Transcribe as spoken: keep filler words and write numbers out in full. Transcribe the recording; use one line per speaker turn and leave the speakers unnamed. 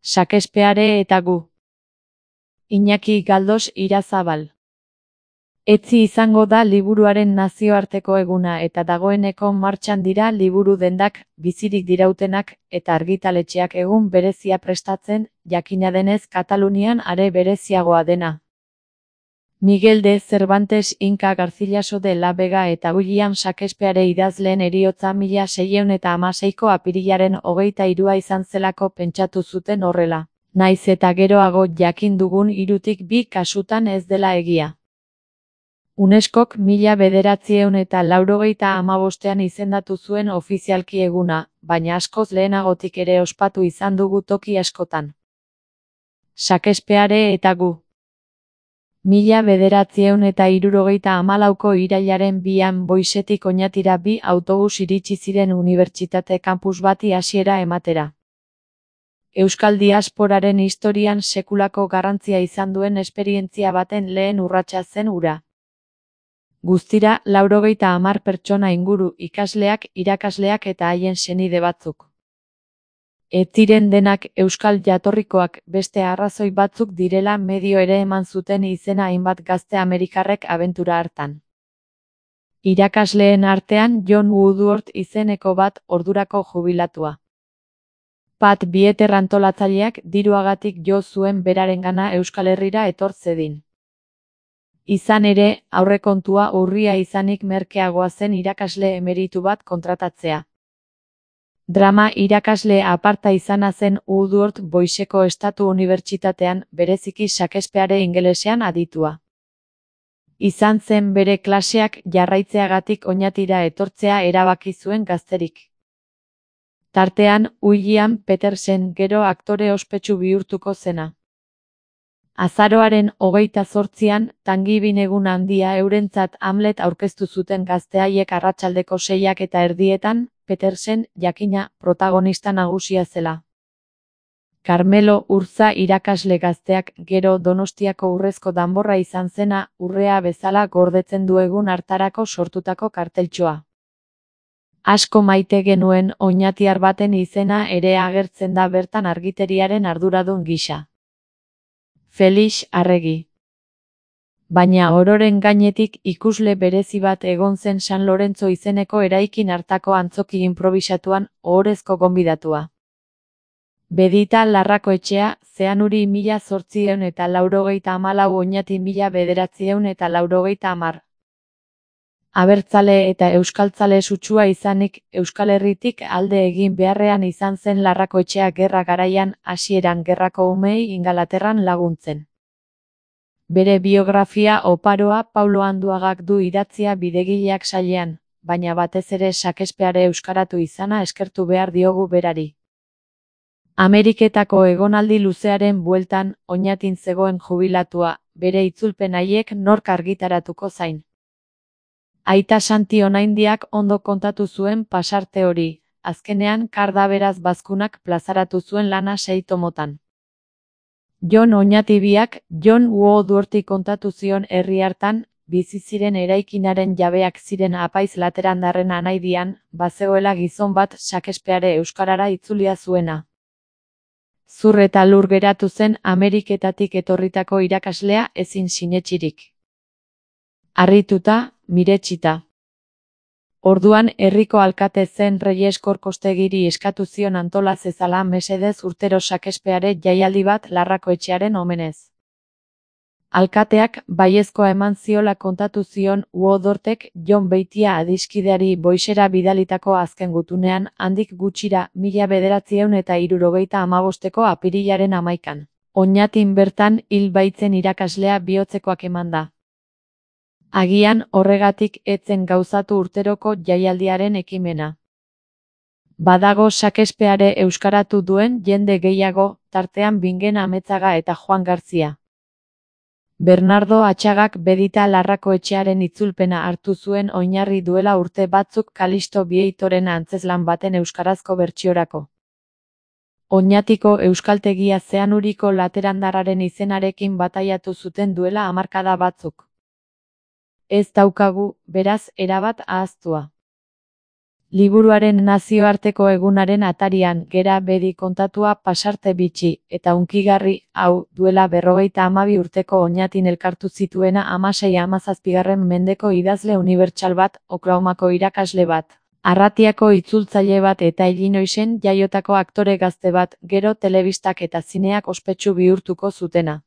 Shakespeare eta gu. Iñaki Galdos Irazabal. Etzi izango da liburuaren nazioarteko eguna eta dagoeneko martxan dira liburu dendak, bizirik dirautenak, eta argitaletxeak egun berezia prestatzen, jakina denez Katalunian are bereziagoa dena. Miguel de Cervantes Inca Garcilaso de la Vega eta William Shakespeare idazleen heriotza mila seiehun eta hamaseiko apirilaren hogeita hirua izan zelako pentsatu zuten horrela, naiz eta geroago jakin dugun hirutik bi kasutan ez dela egia. UNESCOk mila bederatziehun eta laurogeita hamabostean izendatu zuen ofizialki eguna, baina askoz lehenagotik ere ospatu izan dugu toki askotan. Shakespeare eta gu. Mila bederatziehun eta hirurogeita hamalauko irailaren bian Boisetik Oñatira bi autobus iritsi ziren unibertsitate kampus bati hasiera ematera. Euskal diasporaren historian sekulako garrantzia izan duen esperientzia baten lehen urratsa zen hura. Guztira, laurogeita hamar pertsona inguru, ikasleak, irakasleak eta haien senide batzuk. Ez ziren denak euskal jatorrikoak, beste arrazoi batzuk direla medio ere eman zuten izena hainbat gazte amerikarrek abentura hartan. Irakasleen artean John Woodward izeneko bat ordurako jubilatua. Pat Bieter antolatzaileak diruagatik jo zuen berarengana Euskal Herrira etor zedin. Izan ere, aurrekontua urria izanik merkeagoa zen irakasle emeritu bat kontratatzea. Drama irakasle aparta izana zen Woodward Boiseko Estatu Unibertsitatean, bereziki Shakespeare ingelesean aditua. Izan zen bere klaseak jarraitzeagatik Oñatira etortzea erabaki zuen gazterik. Tartean, William Petersen gero aktore ospetsu bihurtuko zena. Azaroaren hogeita zortzian, tangibin egun handia eurentzat Hamlet aurkeztu zuten gazteaiek arratsaldeko seiak eta erdietan, Petersen, jakina, protagonista nagusia zela. Carmelo Urza irakasle gazteak gero Donostiako urrezko danborra izan zena, urrea bezala gordetzen du egun hartarako sortutako karteltxoa. Asko maite genuen oñatiar baten izena ere agertzen da bertan argiteriaren arduradun gisa. Felix Arregi. Baina ororen gainetik ikusle berezi bat egon zen San Lorenzo izeneko eraikin hartako antzoki inprobisatuan, ohorezko gonbidatua. Bedita Larrakoetxea, Zeanuri mila zortziehun eta laurogeita hamalau Oñati mila bederatziehun eta laurogeita hamar. Abertzale eta euskaltzale sutsua izanik, Euskal Herritik alde egin beharrean izan zen Larrakoetxea gerra garaian, hasieran gerrako umeei Ingalaterran laguntzen. Bere biografia oparoa Paulo Anduagak du idatzia Bidegileak sailean, baina batez ere Shakespeare euskaratu izana eskertu behar diogu berari. Ameriketako egonaldi luzearen bueltan, Oñatin zegoen jubilatua, bere itzulpen haiek nork argitaratuko zain. Aita Santi Onaindiak ondo kontatu zuen pasarte hori, azkenean Kardaberaz bazkunak plazaratu zuen lana sei tomotan. John Oñati biak, John Woodworthi kontatu zion herri hartan, bizi ziren eraikinaren jabeak ziren apaiz laterandarren anaidian, bazegoela gizon bat Shakespeare euskarara itzulia zuena. Zur eta lur geratu zen Ameriketatik etorritako irakaslea ezin sinetsirik. Harrituta, miretsita. Orduan herriko alkate zen Reyes Korkostegiri eskatu zion antola zezala mesedez urtero Shakespeare jaialdi bat Larrakoetxearen omenez. Alkateak baiezkoa eman ziola kontatu zion Woodworthek Jon Beitia adiskideari Boisera bidalitako azken gutunean, handik gutxira mila bederatziehun eta hirurogeita hamabosteko apirilaren hamaikan. Oñatin bertan hil baitzen irakaslea bihotzekoak emanda. Agian horregatik etzen gauzatu urteroko jaialdiaren ekimena. Badago Shakespeare euskaratu duen jende gehiago, tartean Bingen Ametzaga eta Juan Garzia. Bernardo Atxagak Bedita Larrakoetxearen itzulpena hartu zuen oinarri duela urte batzuk Kalisto Bieitoren antzezlan baten euskarazko bertsiorako. Oñatiko euskaltegia Zeanuriko laterandarraren izenarekin bataiatu zuten duela hamarkada batzuk. Ez daukagu, beraz, erabat ahaztua. Liburuaren nazioarteko egunaren atarian gera bedi kontatua pasarte bitxi eta hunkigarri, hau, duela berrogeita hamabi urteko oñatin elkartu zituena hamasei hamazazpigarren mendeko idazle unibertsal bat, Oklahomako irakasle bat, Arratiako itzultzaile bat eta Illinoisen jaiotako aktore gazte bat, gero telebistak eta zineak ospetsu bihurtuko zutena.